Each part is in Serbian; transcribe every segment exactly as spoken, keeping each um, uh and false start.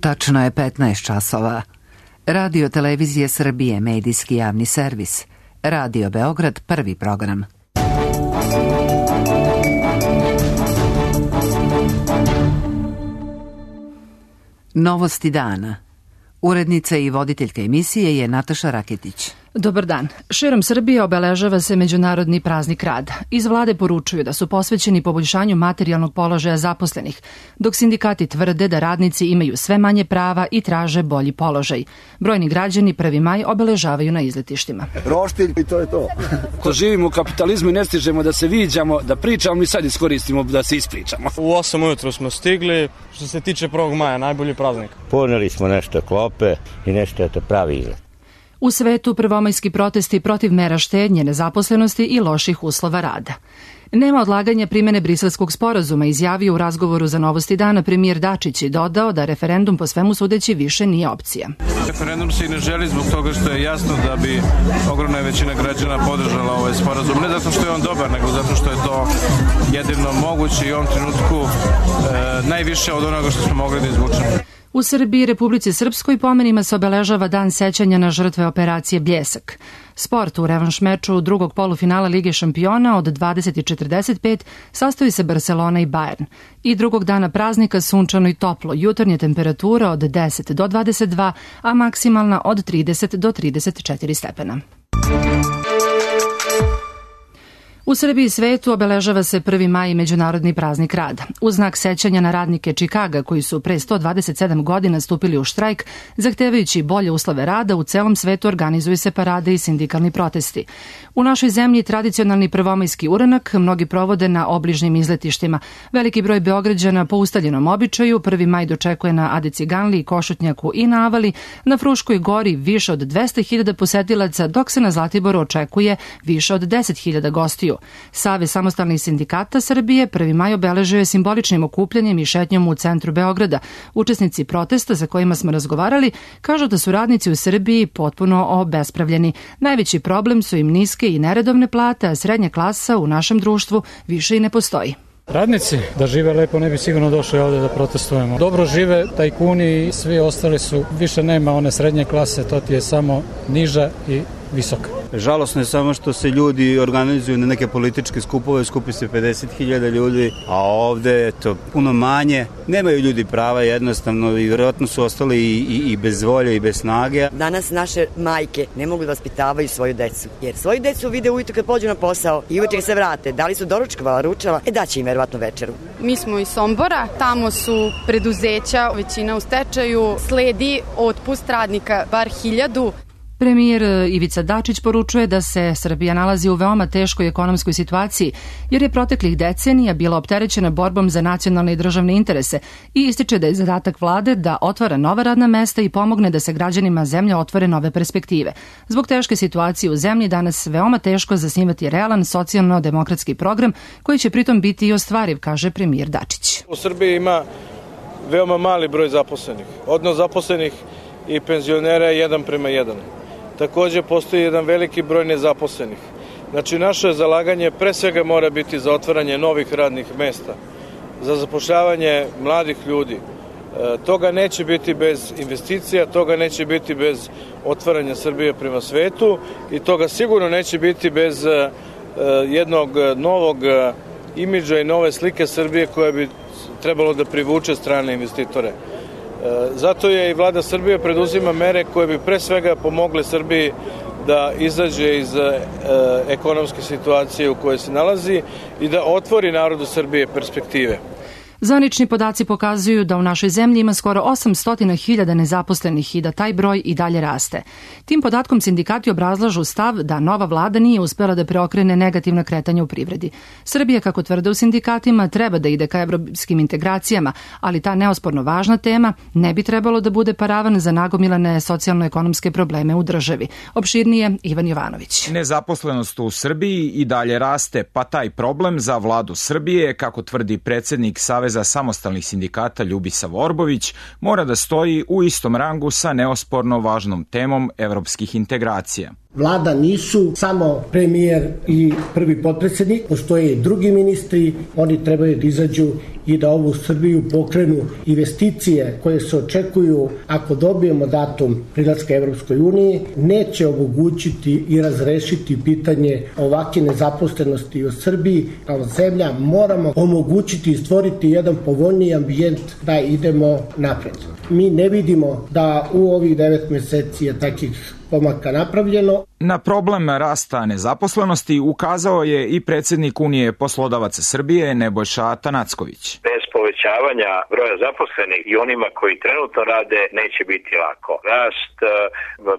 Tačno je petnaest časova. Radio Televizije Srbije, medijski javni servis. Radio Beograd, prvi program. Novosti dana. Urednica i voditeljka emisije je Nataša Raketić. Dobar dan. Širom Srbije obeležava se Međunarodni praznik rada. Iz vlade poručuju da su posvećeni poboljšanju materijalnog položaja zaposlenih, dok sindikati tvrde da radnici imaju sve manje prava i traže bolji položaj. Brojni građani prvi maj obeležavaju na izletištima. Roštilj i to je to. Ko živimo u kapitalizmu i ne stižemo da se viđamo, da pričamo i sad iskoristimo da se ispričamo. U osam ujutru smo stigli, što se tiče prvog maja, najbolji praznik. Poneli smo nešto klope i nešto je to pravi izlet. U svetu prvomajski protesti protiv mera štednje, nezaposlenosti i loših uslova rada. Nema odlaganja primene Briselskog sporazuma, izjavio u razgovoru za Novosti dana premijer Dačić i dodao da referendum po svemu sudeći više nije opcija. Referendum se i ne želi zbog toga što je jasno da bi ogromna većina građana podržala ovaj sporazum. Ne zato što je on dobar, nego zato što je to jedino moguće i u ovom trenutku e, najviše od onoga što smo mogli da izvučemo. U Srbiji i Republici Srpskoj pomenima se obeležava dan sećanja na žrtve operacije Bljesak. Sport u revanš meču drugog polufinala Lige šampiona od dvadeset i četrdeset pet sastoji se Barcelona i Bayern. I drugog dana praznika sunčano i toplo, jutarnja temperatura od deset do dvadeset dva, a maksimalna od trideset do trideset četiri stepena. U Srbiji i svetu obeležava se prvi maj, Međunarodni praznik rada. U znak sećanja na radnike Čikaga koji su pre sto dvadeset sedam godina stupili u štrajk, zahtevajući bolje uslove rada, u celom svetu organizuju se parade i sindikalni protesti. U našoj zemlji tradicionalni prvomajski uranak mnogi provode na obližnjim izletištima. Veliki broj Beograđana po ustaljenom običaju prvi maj dočekuje na Ade Ciganli, Košutnjaku i na Avali, na Fruškoj gori više od dvesta hiljada posetilaca, dok se na Zlatiboru očekuje više od deset hiljada gostiju. Savez samostalnih sindikata Srbije prvi maj obeležio je simboličnim okupljanjem i šetnjom u centru Beograda. Učesnici protesta za kojima smo razgovarali kažu da su radnici u Srbiji potpuno obespravljeni. Najveći problem su im niske i neredovne plate, a srednja klasa u našem društvu više i ne postoji. Radnici da žive lepo ne bi sigurno došli ovde da protestujemo. Dobro žive tajkuni i svi ostali su, više nema one srednje klase, to ti je samo niža i visoka. Žalosno je samo što se ljudi organizuju na neke političke skupove, skupi se pedeset hiljada ljudi, a ovde je to puno manje. Nemaju ljudi prava jednostavno i vjerojatno su ostali i, i, i bez volje i bez snage. Danas naše majke ne mogu da vaspitavaju svoju decu, jer svoju decu vide ujutro kad pođu na posao i uveče se vrate. Da li su doručkovala, ručala, e daće im verovatno večeru. Mi smo iz Sombora, tamo su preduzeća, većina u stečaju, sledi otpust radnika bar hiljadu. Premijer Ivica Dačić poručuje da se Srbija nalazi u veoma teškoj ekonomskoj situaciji, jer je proteklih decenija bila opterećena borbom za nacionalne i državne interese i ističe da je zadatak vlade da otvara nova radna mesta i pomogne da se građanima zemlje otvore nove perspektive. Zbog teške situacije u zemlji danas veoma teško zasnivati realan socijalno-demokratski program koji će pritom biti i ostvariv, kaže premijer Dačić. U Srbiji ima veoma mali broj zaposlenih. Odnos zaposlenih i penzionera je jedan prema jedan. Takođe postoji jedan veliki broj nezaposlenih. Znači naše zalaganje pre svega mora biti za otvaranje novih radnih mesta, za zapošljavanje mladih ljudi. E, toga neće biti bez investicija, toga neće biti bez otvaranja Srbije prema svetu i toga sigurno neće biti bez e, jednog novog imidža i nove slike Srbije koja bi trebalo da privuče strane investitore. Zato je i vlada Srbije preduzima mere koje bi pre svega pomogle Srbiji da izađe iz e, ekonomske situacije u kojoj se nalazi i da otvori narodu Srbije perspektive. Zvanični podaci pokazuju da u našoj zemlji ima skoro osamsto hiljada nezaposlenih i da taj broj i dalje raste. Tim podatkom sindikati obrazlažu stav da nova vlada nije uspela da preokrene negativna kretanja u privredi. Srbija, kako tvrde u sindikatima, treba da ide ka evropskim integracijama, ali ta neosporno važna tema ne bi trebalo da bude paravan za nagomilane socijalno-ekonomske probleme u državi. Opširnije Ivan Jovanović. Nezaposlenost u Srbiji i dalje raste, pa taj problem za vladu Srbije, kako tvrdi predsednik Saveza Saveza samostalnih sindikata Ljubisav Orbović, mora da stoji u istom rangu sa neosporno važnom temom evropskih integracija. Vlada nisu samo premijer i prvi potpredsjednik, postoje i drugi ministri, oni trebaju da izađu i da ovu Srbiju pokrenu investicije koje se očekuju ako dobijemo datum prilaska Evropskoj uniji, neće omogućiti i razrešiti pitanje ovakve nezaposlenosti u Srbiji. Kao zemlja moramo omogućiti i stvoriti jedan povoljniji ambijent da idemo napred. Mi ne vidimo da u ovih devet meseci je takih pomaka napravljeno. Na problem rasta nezaposlenosti ukazao je i predsjednik Unije poslodavaca Srbije Nebojša Atanacković. Bez povećavanja broja zaposlenih i onima koji trenutno rade neće biti lako. Rast,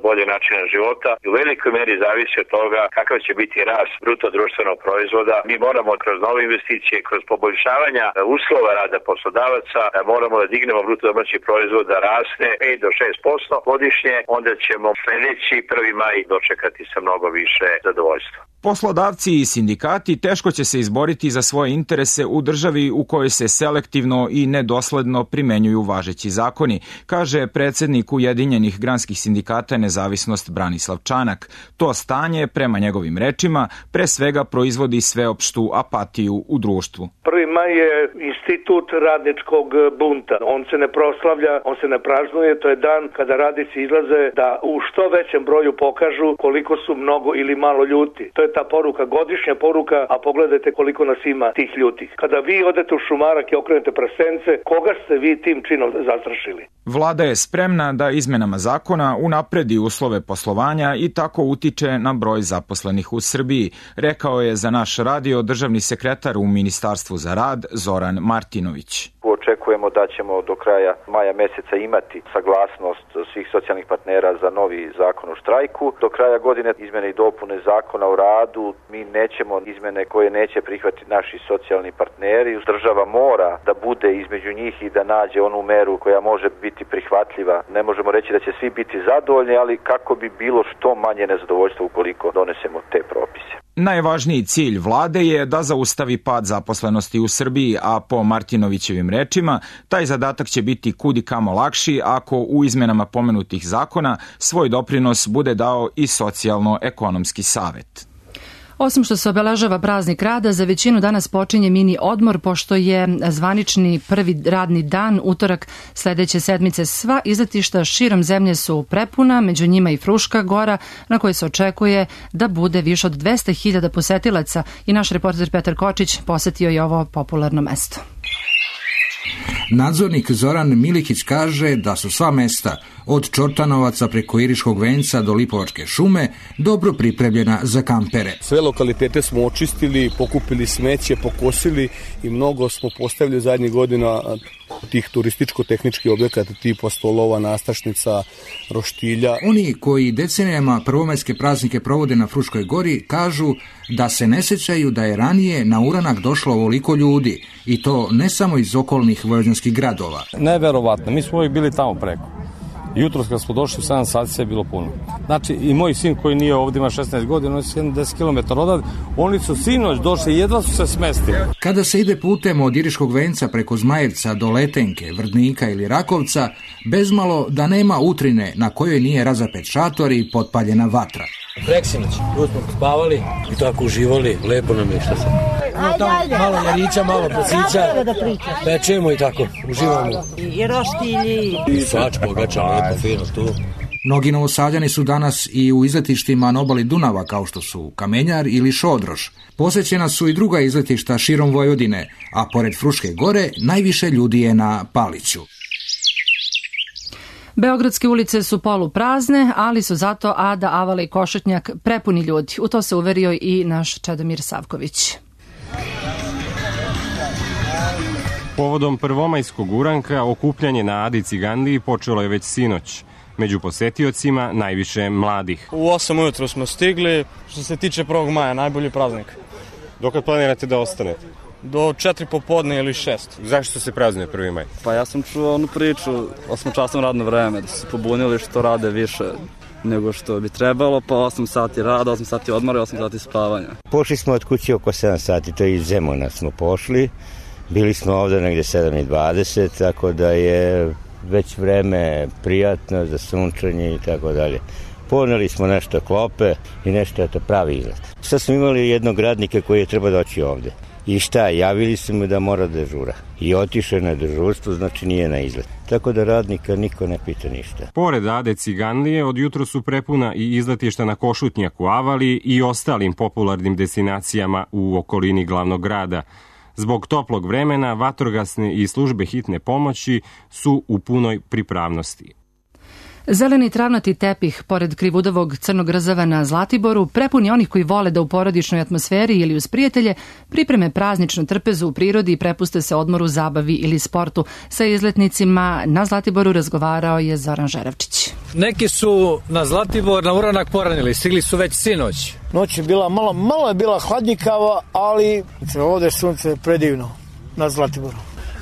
bolje načina života u velikoj meri zavisi od toga kakav će biti rast bruto društvenog proizvoda. Mi moramo kroz nove investicije, kroz poboljšavanja uslova rada poslodavaca, moramo da dignemo bruto domaći proizvod da rasne pet do šest posto godišnje, onda ćemo sljedeći prvi maj dočekati sa mnogo više zadovoljstva. Poslodavci i sindikati teško će se izboriti za svoje interese u državi u kojoj se selektivno i nedosledno primenjuju važeći zakoni, kaže predsjednik Ujedinjenih granskih sindikata Nezavisnost Branislav Čanak. To stanje, prema njegovim rečima, pre svega proizvodi sveopštu apatiju u društvu. prvi maj je institut radničkog bunta. On se ne proslavlja, on se ne praznuje, to je dan kada radnici izlaze da u što većem broju pokažu koliko su mnogo ili malo ljuti. To je ta poruka, godišnja poruka, a pogledajte koliko nas ima tih ljutih. Kada vi odete u šumarak i okrenete prasence, koga ste vi tim činom zastrašili? Vlada je spremna da izmenama zakona unapredi uslove poslovanja i tako utiče na broj zaposlenih u Srbiji, rekao je za naš radio državni sekretar u Ministarstvu za rad Zoran Martinović. Očekujemo da ćemo do kraja maja meseca imati saglasnost svih socijalnih partnera za novi zakon o štrajku. Do kraja godine izmene i dopune zakona o radu, mi nećemo izmene koje neće prihvatiti naši socijalni partneri. Država mora da bude između njih i da nađe onu meru koja može biti prihvatljiva. Ne možemo reći da će svi biti zadovoljni, ali kako bi bilo što manje nezadovoljstva ukoliko donesemo te propise. Najvažniji cilj vlade je da zaustavi pad zaposlenosti u Srbiji, a po Martinovićevim rečima, taj zadatak će biti kudi kamo lakši ako u izmenama pomenutih zakona svoj doprinos bude dao i socijalno-ekonomski savet. Osim što se obeležava praznik rada, za većinu danas počinje mini odmor, pošto je zvanični prvi radni dan, utorak sledeće sedmice. Sva izletišta širom zemlje su prepuna, među njima i Fruška gora, na kojoj se očekuje da bude više od dvesta hiljada posetilaca, i naš reporter Petar Kočić posetio je ovo popularno mesto. Nadzornik Zoran Milikić kaže da su sva mesta, od Čortanovaca preko Iriškog venca do Lipovačke šume, dobro pripremljena za kampere. Sve lokalitete smo očistili, pokupili smeće, pokosili i mnogo smo postavili zadnjih godina tih turističko-tehničkih objekata tipa stolova, nastrašnica, roštilja. Oni koji decenijama prvomajske praznike provode na Fruškoj gori kažu da se ne sećaju da je ranije na uranak došlo ovoliko ljudi, i to ne samo iz okolnih vojvođanskih gradova. Neverovatno, mi smo uvijek bili tamo preko. Jutros kad smo došli u sedam sati sve je bilo puno. Znači i moj sin koji nije ovdje, ima šesnaest godina, on je sedamdeset kilometara odavde, oni su sinoć došli i jedva su se smestili. Kada se ide putem od Iriškog venca preko Zmajevca do Letenke, Vrdnika ili Rakovca, bezmalo da nema utrine na kojoj nije razapet šator i potpaljena vatra. Preksinoć, tu smo spavali i tako uživali, lepo nam je što se. Ajde, tamo, ajde. Malo jarića, malo prasića, pečemo i tako, uživamo. I roštilji. I svač, pogača, lepo, fino tu. Mnogi Novosađani su danas i u izletištima na obali Dunava, kao što su Kamenjar ili Šodroš. Posećena su i druga izletišta širom Vojvodine, a pored Fruške gore najviše ljudi je na Paliću. Beogradske ulice su poluprazne, ali su zato Ada, Avala i Košutnjak prepuni ljudi. U to se uverio i naš Čedomir Savković. Povodom prvomajskog uranka okupljanje na Adi Cigandiji počelo je već sinoć. Među posetiocima najviše mladih. U osam ujutru smo stigli. Što se tiče prvog maja, najbolji praznik. Dokad planirate da ostanete? Do četiri popodne ili šest. Zašto se praznuje prvi maj? Pa ja sam čuo onu priču, osmočasno radno vreme, da su se pobunili što rade više nego što bi trebalo, pa osam sati rada, osam sati odmora i osam sati spavanja. Pošli smo od kuće oko sedam sati, to je iz Zemuna smo pošli. Bili smo ovdje negdje sedam i dvadeset, tako da je već vreme prijatno za sunčanje i tako dalje. Poneli smo nešto klope i nešto, eto, pravi izlet. Sad smo imali jednog radnika koji je treba doći ovde. I šta, javili su mu da mora dežura. I otišao na dežurstvo, znači nije na izlet. Tako da radnika niko ne pita ništa. Pored Ade Ciganlije, od jutro su prepuna i izletišta na Košutnjaku, Avali i ostalim popularnim destinacijama u okolini glavnog grada. Zbog toplog vremena, vatrogasne i službe hitne pomoći su u punoj pripravnosti. Zeleni travnati tepih pored Krivudovog crnog rzava na Zlatiboru prepun je onih koji vole da u porodičnoj atmosferi ili uz prijatelje pripreme prazničnu trpezu u prirodi i prepuste se odmoru, zabavi ili sportu. Sa izletnicima na Zlatiboru razgovarao je Zoran Žerevčić. Neki su na Zlatibor na uranak poranili, stigli su već sinoć. Noć je bila malo, malo je bila hladnjikava, ali ovde sunce predivno na Zlatiboru.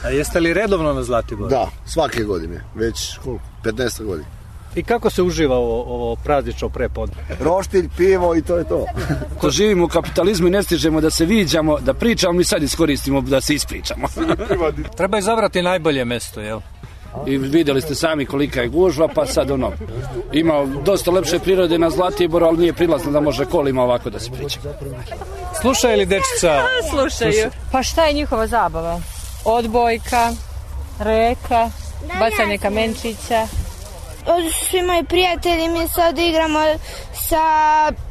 A jeste li redovno na Zlatiboru? Da, svake godine, već koliko, petnaest godina. I kako se uživa ovo, ovo praznično prepodne? Roštilj, pivo i to je to. Ko živimo u kapitalizmu i ne stižemo da se viđamo, da pričamo, mi sad iskoristimo da se ispričamo. Treba izabrati najbolje mesto, jel? I videli ste sami kolika je gužva, pa sad ono, ima dosta lepše prirode na Zlatiboru, ali nije prilazno da može kolima ovako da se priča. Slušaju li dečica? Slušaju. Pa šta je njihova zabava? Odbojka, reka, bacanje kamenčića. Ovdje su svi moji prijatelji, mi sad igramo sa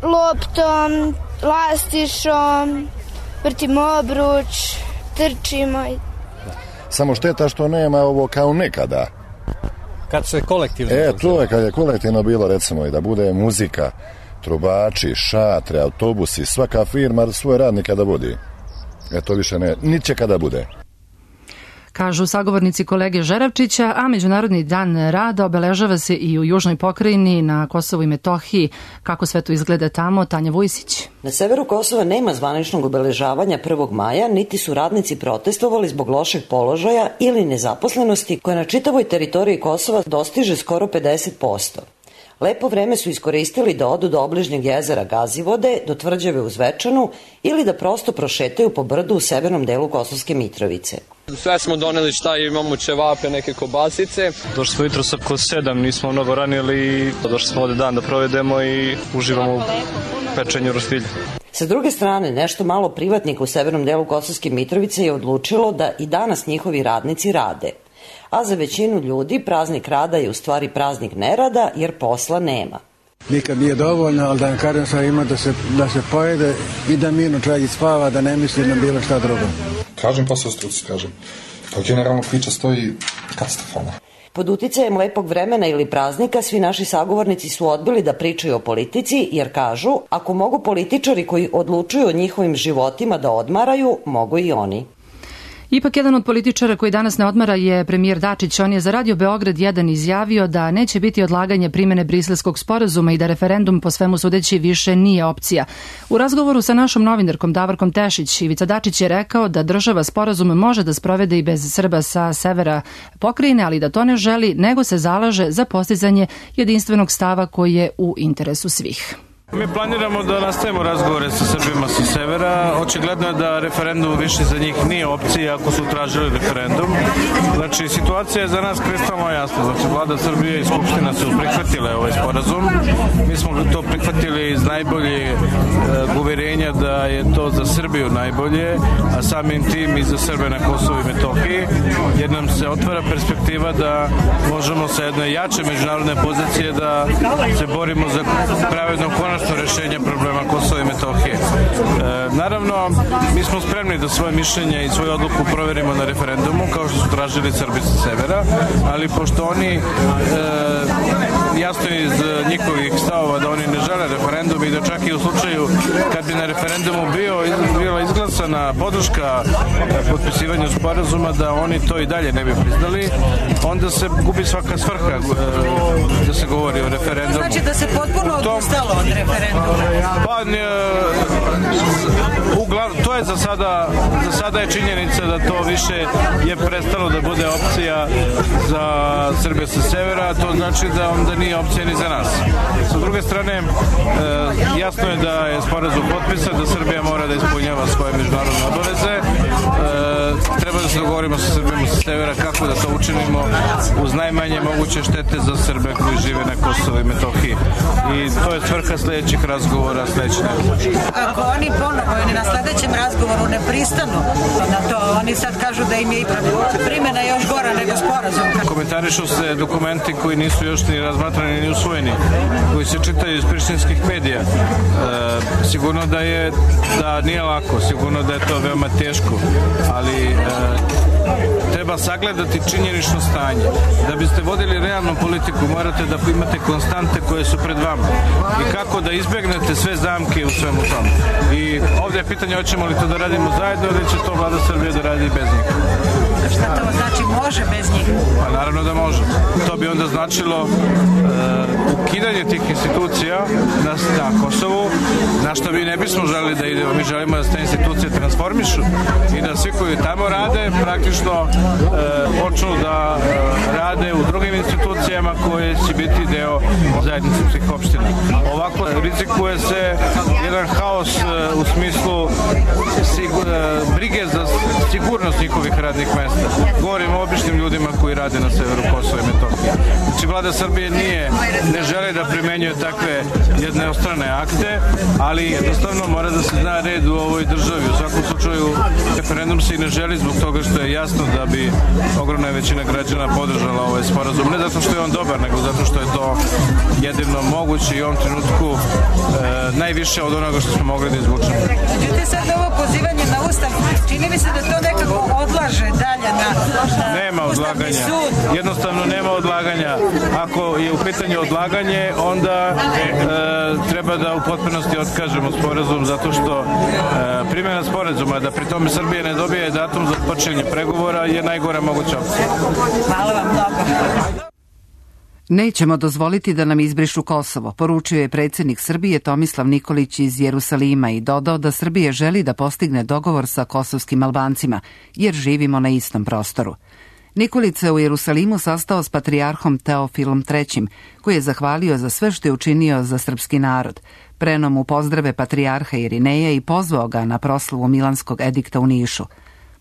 loptom, lastišom, vrtimo obruč, trčimo. Samo šteta što nema ovo kao nekada. Kad se kolektivno... E, to je kad je kolektivno bilo, recimo, i da bude muzika, trubači, šatre, autobusi, svaka firma svoje radnika da vodi. E, to više ne, niće kada bude. Kažu sagovornici kolege Žerevčića, a Međunarodni dan rada obeležava se i u južnoj pokrajini na Kosovu i Metohiji. Kako sve to izgleda tamo, Tanja Vujsić. Na severu Kosova nema zvaničnog obeležavanja prvog maja, niti su radnici protestovali zbog lošeg položaja ili nezaposlenosti koja na čitavoj teritoriji Kosova dostiže skoro pedeset posto. Lepo vreme su iskoristili da odu do obližnjeg jezera Gazivode, do tvrđave u Zvečanu ili da prosto prošetaju po brdu u severnom delu Kosovske Mitrovice. Sve smo doneli šta imamo, ćevape, neke kobasice. Došli smo jutro oko sedam, nismo mnogo ranili, došli smo ovde dan da provedemo i uživamo u pečenju roštilja. Sa druge strane, nešto malo privatnika u severnom delu Kosovske Mitrovice je odlučilo da i danas njihovi radnici rade. A za većinu ljudi praznik rada je u stvari praznik nerada jer posla nema. Nikad nije dovoljno, ali da vam kažem sad ima da se, da se pojede i da mirno čovjek spava, da ne misli na bilo šta drugo. Kažem posao struci, kažem. Pa generalno priča stoji katastrofalno. Pod uticajem lepog vremena ili praznika svi naši sagovornici su odbili da pričaju o politici jer kažu ako mogu političari koji odlučuju o njihovim životima da odmaraju, mogu i oni. Ipak jedan od političara koji danas ne odmara je premijer Dačić. On je za Radio Beograd jedan izjavio da neće biti odlaganje primene Briselskog sporazuma i da referendum po svemu sudeći više nije opcija. U razgovoru sa našom novinarkom Davorkom Tešić, Ivica Dačić je rekao da država sporazum može da sprovede i bez Srba sa severa pokrajine, ali da to ne želi, nego se zalaže za postizanje jedinstvenog stava koji je u interesu svih. Mi planiramo da nastavimo razgovore sa Srbima sa severa. Očigledno je da referendum više za njih nije opcija ako su tražili referendum. Znači, situacija je za nas kristalno jasna. Znači, vlada Srbije i Skupština su prihvatile ovaj sporazum. Mi smo to prihvatili iz najbolje e, uverenja da je to za Srbiju najbolje, a samim tim i za Srbe na Kosovu i Metohiji, jer nam se otvara perspektiva da možemo sa jedne jače međunarodne pozicije da se borimo za pravedno konačno rešenje problema Kosova i Metohije. E, naravno, mi smo spremni da svoje mišljenje i svoju odluku proverimo na referendumu, kao što su tražili Srbi sa severa, ali pošto oni e, jasno iz njihovih stavova da oni ne žele referendum i da čak i u slučaju kad bi na referendumu bio, bila izglasana podrška potpisivanju sporazuma, da oni to i dalje ne bi priznali, onda se gubi svaka svrha e, da se govori o referendumu. Znači da se potpuno odustalo od referenduma? Pa, ne, uglav, to je za sada, za sada je činjenica da to više je prestalo da bude opcija za Srbije sa severa, to znači da onda nije opcija ni za nas. Sa druge strane, e, jasno je da je sporazum potpisan, da Srbija mora da ispunjava svoje međunarodne obaveze. E, treba da se dogovorimo sa Srbima sa severa kako da to učinimo uz najmanje moguće štete za Srbe koji žive na Kosovu i Metohiji. I to je svrha sledećih razgovora sledeće nedelje. Ako oni ponovo na sledećem razgovoru ne pristanu na to, oni sad kažu da im je ipak primjena još gora nego sporazum. Komentarišu se dokumenti koji nisu još ni razmatrani ni usvojeni, koji se čitaju iz prištinskih medija. E, sigurno da je da nije lako, sigurno da je to veoma teško, ali e, treba sagledati činjenično stanje. Da biste vodili realnu politiku, morate da imate konstante koje su pred vama i kako da izbegnete sve zamke u svemu tomu. I ovdje je pitanje hoćemo li to da radimo zajedno ili će to vlada Srbije da radi bez njih. A šta to znači može bez njih? Pa naravno da može. To bi onda značilo uh, ukidanje tih institucija na, na Kosovu, na što mi ne bismo želeli da idemo. Mi želimo da se te institucije transformišu i da svi koji tamo rade praktično uh, počnu da uh, rade u drugim institucijama koje će biti deo zajednice svih opština. Ovako rizikuje se jedan haos uh, u smislu sigur, uh, brige za sigurnost njihovih radnih mesta. Govorim o običnim ljudima koji rade na severu Kosova i Metohije. Znači, vlada Srbije nije, ne želi da primenjuje takve jednostrane akte, ali jednostavno mora da se zna red u ovoj državi. U svakom slučaju, referendum se i ne želi zbog toga što je jasno da bi ogromna većina građana podržala ovaj sporazum. Ne zato što je on dobar, nego zato što je to jedino moguće i u ovom trenutku e, najviše od onoga što smo mogli da izvučemo. Međutim, sad ovo pozivanje na Ustav, čini mi se da to nekako odlaže dalje na, na nema odlaganja. Sud. Jednostavno nema odlaganja. Ako je u pitanju odlaganje, onda e, treba da u potpunosti otkažemo sporazum zato što e, primjena sporazuma da pri tome Srbije ne dobije datum za počinjenje pregovora je najgora moguća opcija. Hvala vam mnogo. Nećemo dozvoliti da nam izbrišu Kosovo, poručio je predsjednik Srbije Tomislav Nikolić iz Jerusalima i dodao da Srbija želi da postigne dogovor sa kosovskim Albancima, jer živimo na istom prostoru. Nikolić se u Jerusalimu sastao s patrijarhom Teofilom trećim, koji je zahvalio za sve što je učinio za srpski narod. Preneo mu pozdrave patrijarha Irineja i pozvao ga na proslavu Milanskog edikta u Nišu.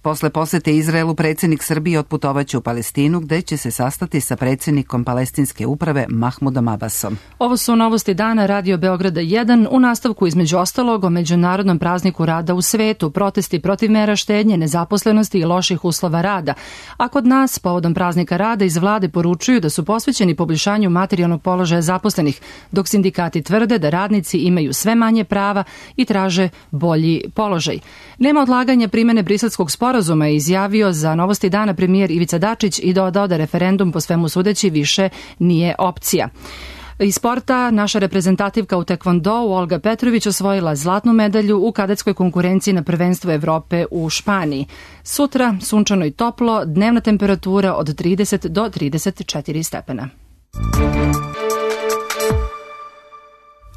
Posle posete Izraelu, predsjednik Srbije otputovaće u Palestinu, gde će se sastati sa predsjednikom palestinske uprave Mahmudom Abbasom. Ovo su novosti dana Radio Beograda jedan. U nastavku između ostalog o Međunarodnom prazniku rada u svetu, protesti protiv mera štednje, nezaposlenosti i loših uslova rada. A kod nas, povodom praznika rada, iz vlade poručuju da su posvećeni poboljšanju materijalnog položaja zaposlenih, dok sindikati tvrde da radnici imaju sve manje prava i traže bolji položaj. Nema odlaganja primene Briselskog sporazuma, je izjavio za novosti dana premijer Ivica Dačić i dodao da referendum po svemu sudeći više nije opcija. Iz sporta, naša reprezentativka u tekvondou Olga Petrović osvojila zlatnu medalju u kadetskoj konkurenciji na prvenstvu Evrope u Španiji. Sutra sunčano i toplo, dnevna temperatura od trideset do trideset četiri stepena.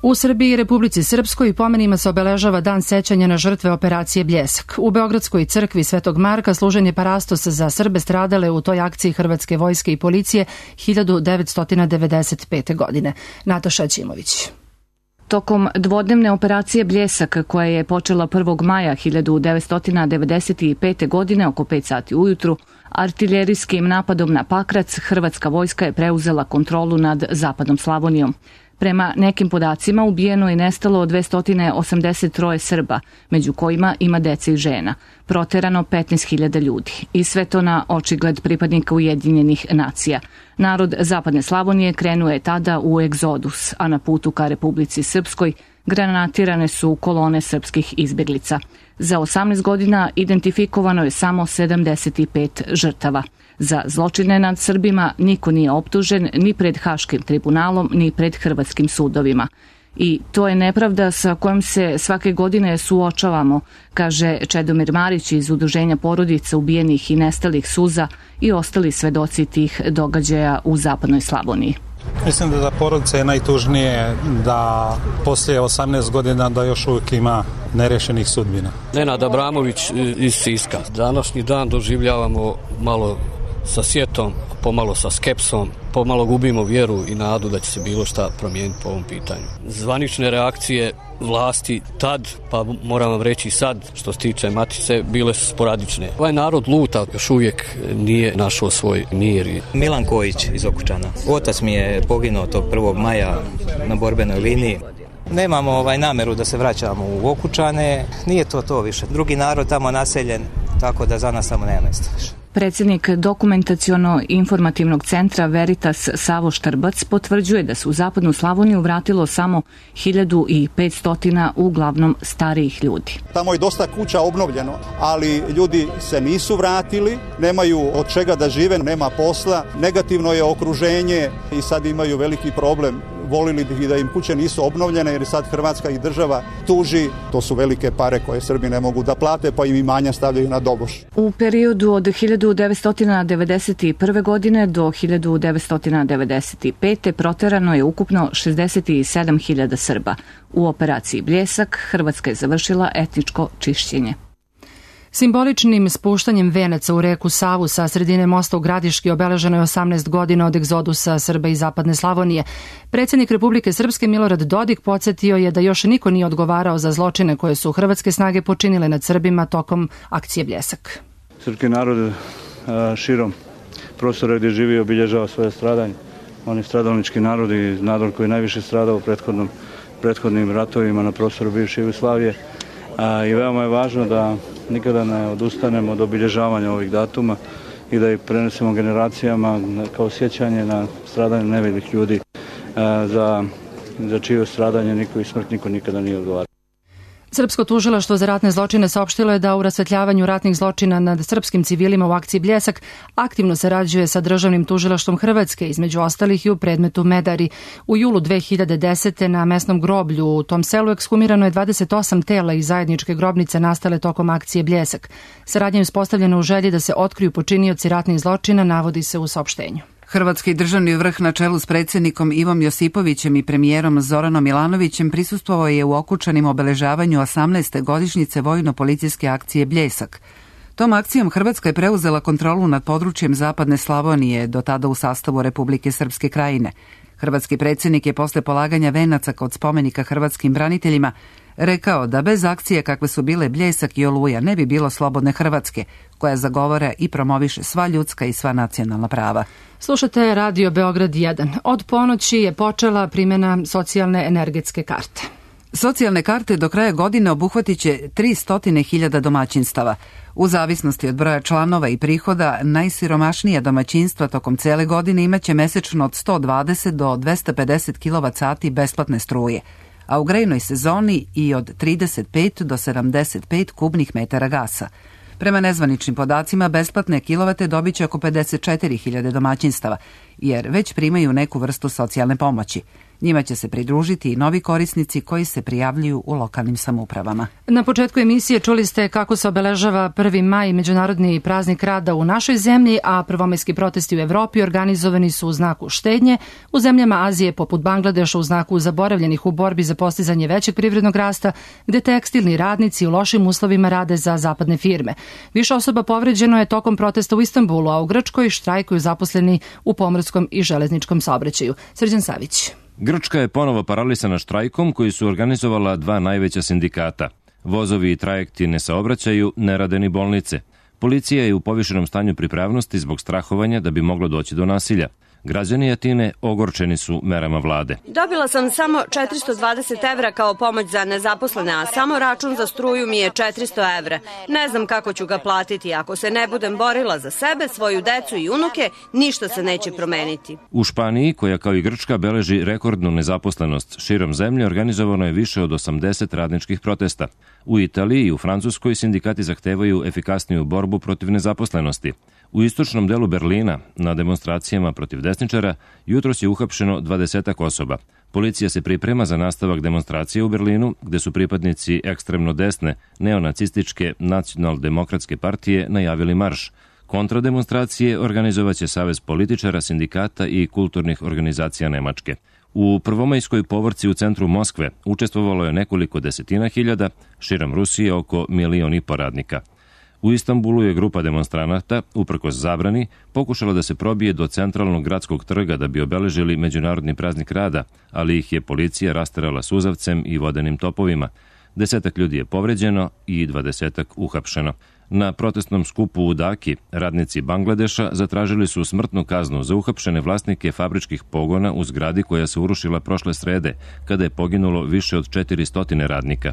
U Srbiji i Republici Srpskoj pomenima se obeležava dan sećanja na žrtve operacije Bljesak. U Beogradskoj crkvi Svetog Marka služen je parastos za Srbe stradale u toj akciji Hrvatske vojske i policije hiljadu devetsto devedeset pete. godine. Nataša Ćimović. Tokom dvodnevne operacije Bljesak, koja je počela prvog maja hiljadu devetsto devedeset pete. godine oko pet sati ujutru, artiljerijskim napadom na Pakrac, Hrvatska vojska je preuzela kontrolu nad zapadnom Slavonijom. Prema nekim podacima ubijeno i nestalo dvesta osamdeset troje Srba, među kojima ima dece i žena. Proterano petnaest hiljada ljudi. I sve to na očigled pripadnika Ujedinjenih nacija. Narod zapadne Slavonije krenuo je tada u egzodus, a na putu ka Republici Srpskoj granatirane su kolone srpskih izbjeglica. Za osamnaest godina identifikovano je samo sedamdeset pet žrtava. Za zločine nad Srbima niko nije optužen ni pred Haškim tribunalom, ni pred hrvatskim sudovima. I to je nepravda sa kojom se svake godine suočavamo, kaže Čedomir Marić iz Udruženja porodica ubijenih i nestalih suza i ostali svedoci tih događaja u zapadnoj Slavoniji. Mislim da za porodice je najtužnije da poslije osamnaest godina da još uvijek ima nerešenih sudbina. Nenad Abramović iz Siska. Današnji dan doživljavamo malo sa sjetom, pomalo sa skepsom, pomalo gubimo vjeru i nadu da će se bilo šta promijeniti po ovom pitanju. Zvanične reakcije vlasti tad, pa moram vam reći sad, što se tiče Matice, bile su sporadične. Ovaj narod luta, još uvijek nije našao svoj mir. Milan Kojić iz Okučana. Otac mi je poginuo tog prvog maja na borbenoj liniji. Nemamo ovaj nameru da se vraćamo u Okučane, nije to to više. Drugi narod tamo naseljen, tako da za nas tamo nema mjesta više. Predsjednik dokumentaciono-informativnog centra Veritas Savo Štrbac potvrđuje da se u zapadnu Slavoniju vratilo samo hiljadu petsto uglavnom starijih ljudi. Tamo je dosta kuća obnovljeno, ali ljudi se nisu vratili, nemaju od čega da žive, nema posla, negativno je okruženje i sad imaju veliki problem. Volili bi da im kuće nisu obnovljene jer sad Hrvatska i država tuži. To su velike pare koje Srbi ne mogu da plate, pa im imanja stavljaju na doboš. U periodu od hiljadu devetsto devedeset prve. godine do hiljadu devetsto devedeset pete. proterano je ukupno šezdeset sedam hiljada Srba. U operaciji Bljesak Hrvatska je završila etničko čišćenje. Simboličnim spuštanjem venaca u reku Savu sa sredine mosta u Gradiški obeleženo je osamnaest godina od egzodusa Srba iz zapadne Slavonije. Predsjednik Republike Srpske Milorad Dodik podsjetio je da još niko nije odgovarao za zločine koje su hrvatske snage počinile nad Srbima tokom akcije Bljesak. Srpski narod širom prostora gdje živi obilježava svoje stradanje. On je stradalnički narod i narod koji je najviše stradao u prethodnom, prethodnim ratovima na prostoru bivše Jugoslavije. A, i veoma je važno da nikada ne odustanemo od obilježavanja ovih datuma i da ih prenesemo generacijama kao sjećanje na stradanje nevinih ljudi a, za, za čije stradanje niko i smrt niko nikada nije odgovarao. Srpsko tužilaštvo za ratne zločine saopštilo je da u rasvetljavanju ratnih zločina nad srpskim civilima u akciji Bljesak aktivno sarađuje sa državnim tužilaštvom Hrvatske, između ostalih i u predmetu Medari. U julu dve hiljade desete. na mesnom groblju u tom selu ekshumirano je dvadeset osam tela iz zajedničke grobnice nastale tokom akcije Bljesak. Saradnja je uspostavljena u želji da se otkriju počinioci ratnih zločina, navodi se u saopštenju. Hrvatski državni vrh na čelu s predsjednikom Ivom Josipovićem i premijerom Zoranom Milanovićem prisustvovao je u Okučanim obeležavanju osamnaeste godišnjice vojno-policijske akcije Bljesak. Tom akcijom Hrvatska je preuzela kontrolu nad područjem zapadne Slavonije, do tada u sastavu Republike Srpske Krajine. Hrvatski predsjednik je posle polaganja venaca kod spomenika hrvatskim braniteljima rekao da bez akcije kakve su bile Bljesak i Oluja ne bi bilo slobodne Hrvatske, koja zagovara i promoviše sva ljudska i sva nacionalna prava. Slušate Radio Beograd jedan. Od ponoći je počela primjena socijalne energetske karte. Socijalne karte do kraja godine obuhvatit će tristo hiljada domaćinstava. U zavisnosti od broja članova i prihoda, najsiromašnija domaćinstva tokom cele godine imaće mesečno od sto dvadeset do dvesta pedeset kilovat sati besplatne struje, a u grejnoj sezoni i od trideset pet do sedamdeset pet kubnih metara gasa. Prema nezvaničnim podacima, besplatne kilovate dobit će oko pedeset četiri hiljade domaćinstava, jer već primaju neku vrstu socijalne pomoći. Njima će se pridružiti i novi korisnici koji se prijavljuju u lokalnim samoupravama. Na početku emisije čuli ste kako se obeležava prvi maj, međunarodni praznik rada u našoj zemlji, a prvomajski protesti u Evropi organizovani su u znaku štednje, u zemljama Azije poput Bangladeša u znaku zaboravljenih u borbi za postizanje većeg privrednog rasta, gde tekstilni radnici u lošim uslovima rade za zapadne firme. Više osoba povređeno je tokom protesta u Istanbulu, a u Grčkoj štrajkuju zaposleni u pomorskom i železničkom saobraćaju. Srđan Savić. Grčka je ponovo paralisana štrajkom koji su organizovala dva najveća sindikata. Vozovi i trajekti ne saobraćaju, ne rade ni bolnice. Policija je u povišenom stanju pripravnosti zbog strahovanja da bi moglo doći do nasilja. Građani Atine ogorčeni su merama vlade. Dobila sam samo četiristo dvadeset evra kao pomoć za nezaposlene, a samo račun za struju mi je četiristo evra. Ne znam kako ću ga platiti. Ako se ne budem borila za sebe, svoju decu i unuke, ništa se neće promeniti. U Španiji, koja kao i Grčka beleži rekordnu nezaposlenost širom zemlje, organizovano je više od osamdeset radničkih protesta. U Italiji i u Francuskoj sindikati zahtevaju efikasniju borbu protiv nezaposlenosti. U istočnom delu Berlina, na demonstracijama protiv desničara, jutros je uhapšeno dvadesetak osoba. Policija se priprema za nastavak demonstracije u Berlinu, gde su pripadnici ekstremno desne, neonacističke nacional-demokratske partije najavili marš. Kontrademonstracije organizovaće Savez političara, sindikata i kulturnih organizacija Nemačke. U prvomajskoj povorci u centru Moskve učestvovalo je nekoliko desetina hiljada, širom Rusije oko milion i po radnika. U Istanbulu je grupa demonstranata, uprkos zabrani, pokušala da se probije do centralnog gradskog trga da bi obeležili Međunarodni praznik rada, ali ih je policija rasterala suzavcem i vodenim topovima. Desetak ljudi je povređeno i dvadesetak uhapšeno. Na protestnom skupu u Daki radnici Bangladeša zatražili su smrtnu kaznu za uhapšene vlasnike fabričkih pogona u zgradi koja se urušila prošle srede, kada je poginulo više od četiristo radnika.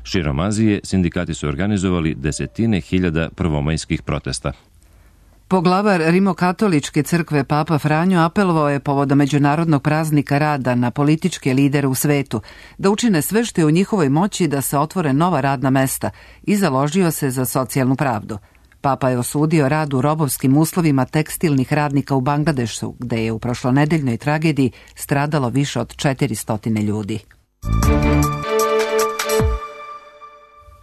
Širom Azije sindikati su organizovali desetine hiljada prvomajskih protesta. Poglavar Rimokatoličke crkve Papa Franjo apelovao je povodom Međunarodnog praznika rada na političke lidere u svetu da učine sve što je u njihovoj moći da se otvore nova radna mesta i založio se za socijalnu pravdu. Papa je osudio rad u robovskim uslovima tekstilnih radnika u Bangladešu, gde je u prošlonedeljnoj tragediji stradalo više od četiristo ljudi.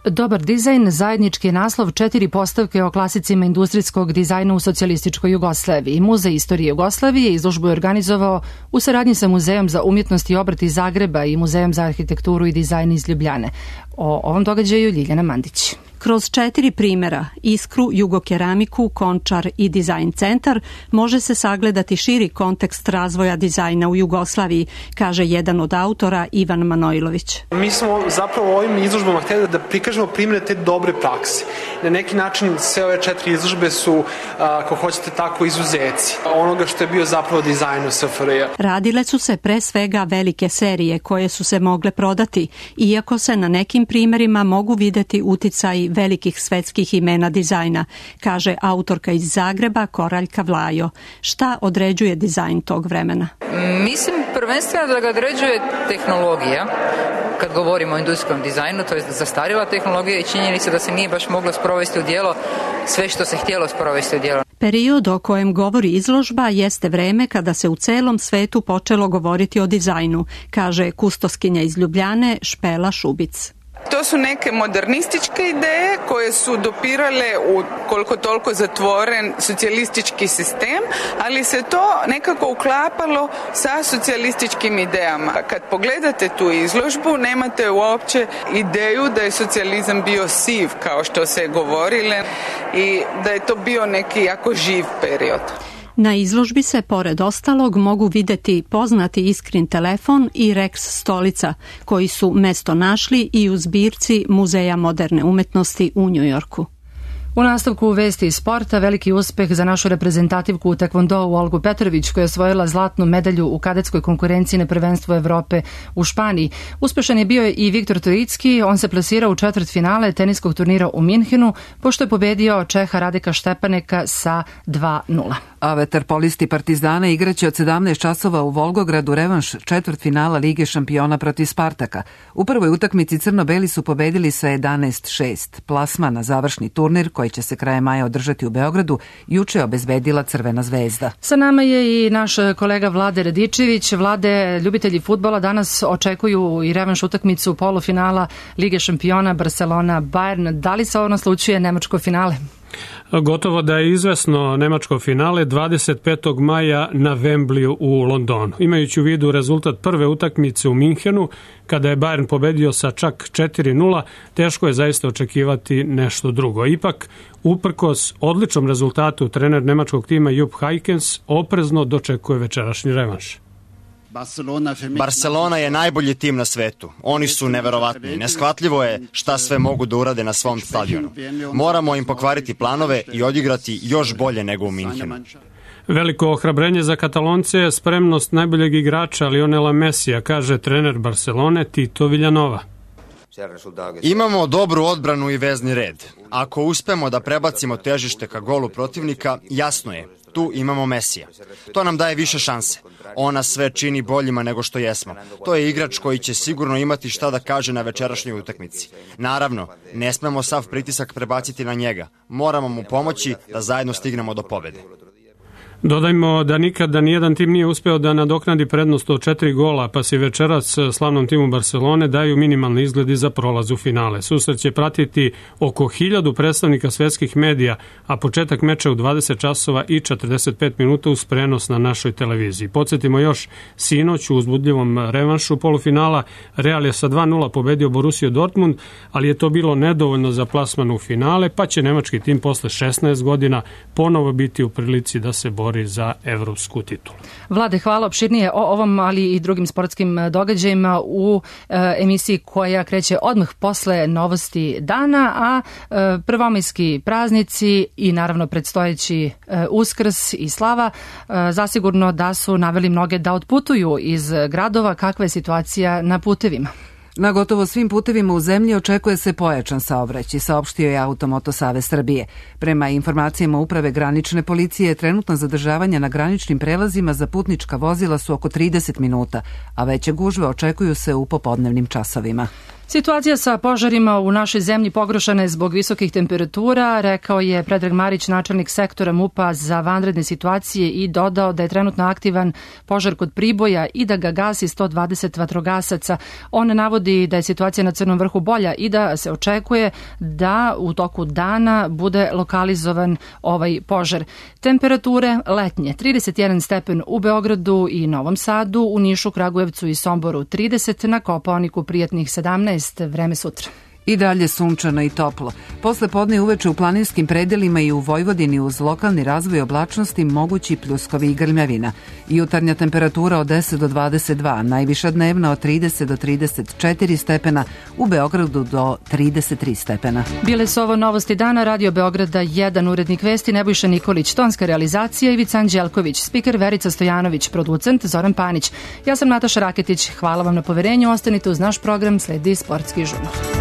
Dobar dizajn, zajednički je naslov četiri postavke o klasicima industrijskog dizajna u socijalističkoj Jugoslaviji. Muzej istorije Jugoslavije izložbu je organizovao u saradnji sa Muzejom za umjetnost i obrt iz Zagreba i Muzejom za arhitekturu i dizajn iz Ljubljane. O ovom događaju Ljiljana Mandić. Kroz četiri primjera, Iskru, Jugokeramiku, Končar i Dizajn centar, može se sagledati širi kontekst razvoja dizajna u Jugoslaviji, kaže jedan od autora Ivan Manojlović. Mi smo zapravo ovim izložbama htjeli da prikažemo primjere te dobre prakse. Na neki način sve ove četiri izložbe su, ako hoćete tako, izuzeci onoga što je bio zapravo dizajn u S F R J. Radile su se pre svega velike serije koje su se mogle prodati, iako se na nekim primjerima mogu videti uticaj velikih svetskih imena dizajna, kaže autorka iz Zagreba Koraljka Vlajo. Šta određuje dizajn tog vremena? Mislim prvenstveno da ga određuje tehnologija. Kad govorimo o industrijskom dizajnu, to je zastarjela tehnologija i činjenica da se nije baš moglo sprovesti u djelo sve što se htjelo sprovesti u djelo. Period o kojem govori izložba jeste vreme kada se u celom svetu počelo govoriti o dizajnu, kaže kustoskinja iz Ljubljane Špela Šubic. To su neke modernističke ideje koje su dopirale u koliko toliko zatvoren socijalistički sistem, ali se to nekako uklapalo sa socijalističkim idejama. Kad pogledate tu izložbu, nemate uopće ideju da je socijalizam bio siv, kao što se govorile, i da je to bio neki jako živ period. Na izložbi se, pored ostalog, mogu videti poznati Iskrin telefon i Rex stolica, koji su mesto našli i u zbirci Muzeja moderne umetnosti u Njujorku. U nastavku vesti iz sporta, veliki uspeh za našu reprezentativku u tekvondou Olgu Petrović, koja je osvojila zlatnu medalju u kadetskoj konkurenciji na prvenstvu Evrope u Španiji. Uspešan je bio i Viktor Trojicki, on se plasirao u četvrtfinale teniskog turnira u Minhenu, pošto je pobedio Čeha Radeka Štepaneka sa dva nula. A vaterpolisti Partizana igraće od sedamnaest časova u Volgogradu revanš četvrtfinala Lige šampiona protiv Spartaka. U prvoj utakmici crno-beli su pobedili sa jedanaest šest. Plasma na završni turnir, koji će se krajem maja održati u Beogradu, juče je obezbedila Crvena zvezda. Sa nama je i naš kolega Vlade Radičević. Vlade, ljubitelji fudbala danas očekuju i revanš utakmicu polufinala Lige šampiona Barcelona-Bayern. Da li se ovo naslučuje nemačko finale? Gotovo da je izvesno nemačko finale dvadeset petog maja na Wembleyu u Londonu. Imajući u vidu rezultat prve utakmice u Minhenu, kada je Bayern pobedio sa čak četiri nula, teško je zaista očekivati nešto drugo. Ipak, uprkos odličnom rezultatu, trener nemačkog tima Jupp Heynckes oprezno dočekuje večerašnji revanš. Barcelona je najbolji tim na svetu. Oni su neverovatni. Neshvatljivo je šta sve mogu da urade na svom stadionu. Moramo im pokvariti planove i odigrati još bolje nego u Minhenu. Veliko ohrabrenje za Katalonce je spremnost najboljeg igrača Lionela Messija, kaže trener Barcelone Tito Villanova. Imamo dobru odbranu i vezni red. Ako uspemo da prebacimo težište ka golu protivnika, jasno je, tu imamo Messija. To nam daje više šanse. On nas sve čini boljima nego što jesmo. To je igrač koji će sigurno imati šta da kaže na večerašnjoj utakmici. Naravno, ne smemo sav pritisak prebaciti na njega. Moramo mu pomoći da zajedno stignemo do pobede. Dodajmo da nikada nijedan tim nije uspeo da nadoknadi prednost od četiri gola, pa se večeras slavnom timu Barcelone daju minimalni izgledi za prolaz u finale. Susret će pratiti oko hiljadu predstavnika svetskih medija, a početak meča u dvadeset časova i četrdeset pet minuta uz prenos na našoj televiziji. Podsjetimo još, sinoć u uzbudljivom revanšu polufinala Real je sa dva nula pobedio Borussiju Dortmund, ali je to bilo nedovoljno za plasman u finale, pa će nemački tim posle šesnaest godina ponovo biti u prilici da se bori za evropsku titulu. Vlade, hvala opširnije o ovom, ali i drugim sportskim događajima u e, emisiji koja kreće odmah posle novosti dana, a e, prvomajski praznici i naravno predstojeći e, Uskrs i slava e, zasigurno da su naveli mnoge da otputuju iz gradova. Kakva je situacija na putevima? Na gotovo svim putevima u zemlji očekuje se pojačan saobraćaj, saopštio je Automoto Savez Srbije. Prema informacijama Uprave granične policije, trenutna zadržavanja na graničnim prelazima za putnička vozila su oko trideset minuta, a veće gužve očekuju se u popodnevnim časovima. Situacija sa požarima u našoj zemlji pogoršana je zbog visokih temperatura, rekao je Predrag Marić, načelnik sektora MUP-a za vanredne situacije, i dodao da je trenutno aktivan požar kod Priboja i da ga gasi sto dvadeset vatrogasaca. On navodi da je situacija na Crnom vrhu bolja i da se očekuje da u toku dana bude lokalizovan ovaj požar. Temperature letnje trideset jedan stepen u Beogradu i Novom Sadu, u Nišu, Kragujevcu i Somboru trideset, na Kopaoniku prijatnih sedamnaest. Vreme sutra. I dalje sunčano i toplo. Posle podne i uveče u planinskim predelima i u Vojvodini uz lokalni razvoj oblačnosti mogući pljuskovi i grmljavina. Jutarnja temperatura od deset do dvadeset dva, najviša dnevna od trideset do trideset četiri stepena, u Beogradu do trideset tri stepena. Bile su ovo novosti dana, Radio Beograda jedan, urednik vesti Nebojša Nikolić, tonska realizacija Ivica Anđelković, spiker Verica Stojanović, producent Zoran Panić. Ja sam Nataša Raketić, hvala vam na poverenju, ostanite uz naš program, sledi Sportski žurnal.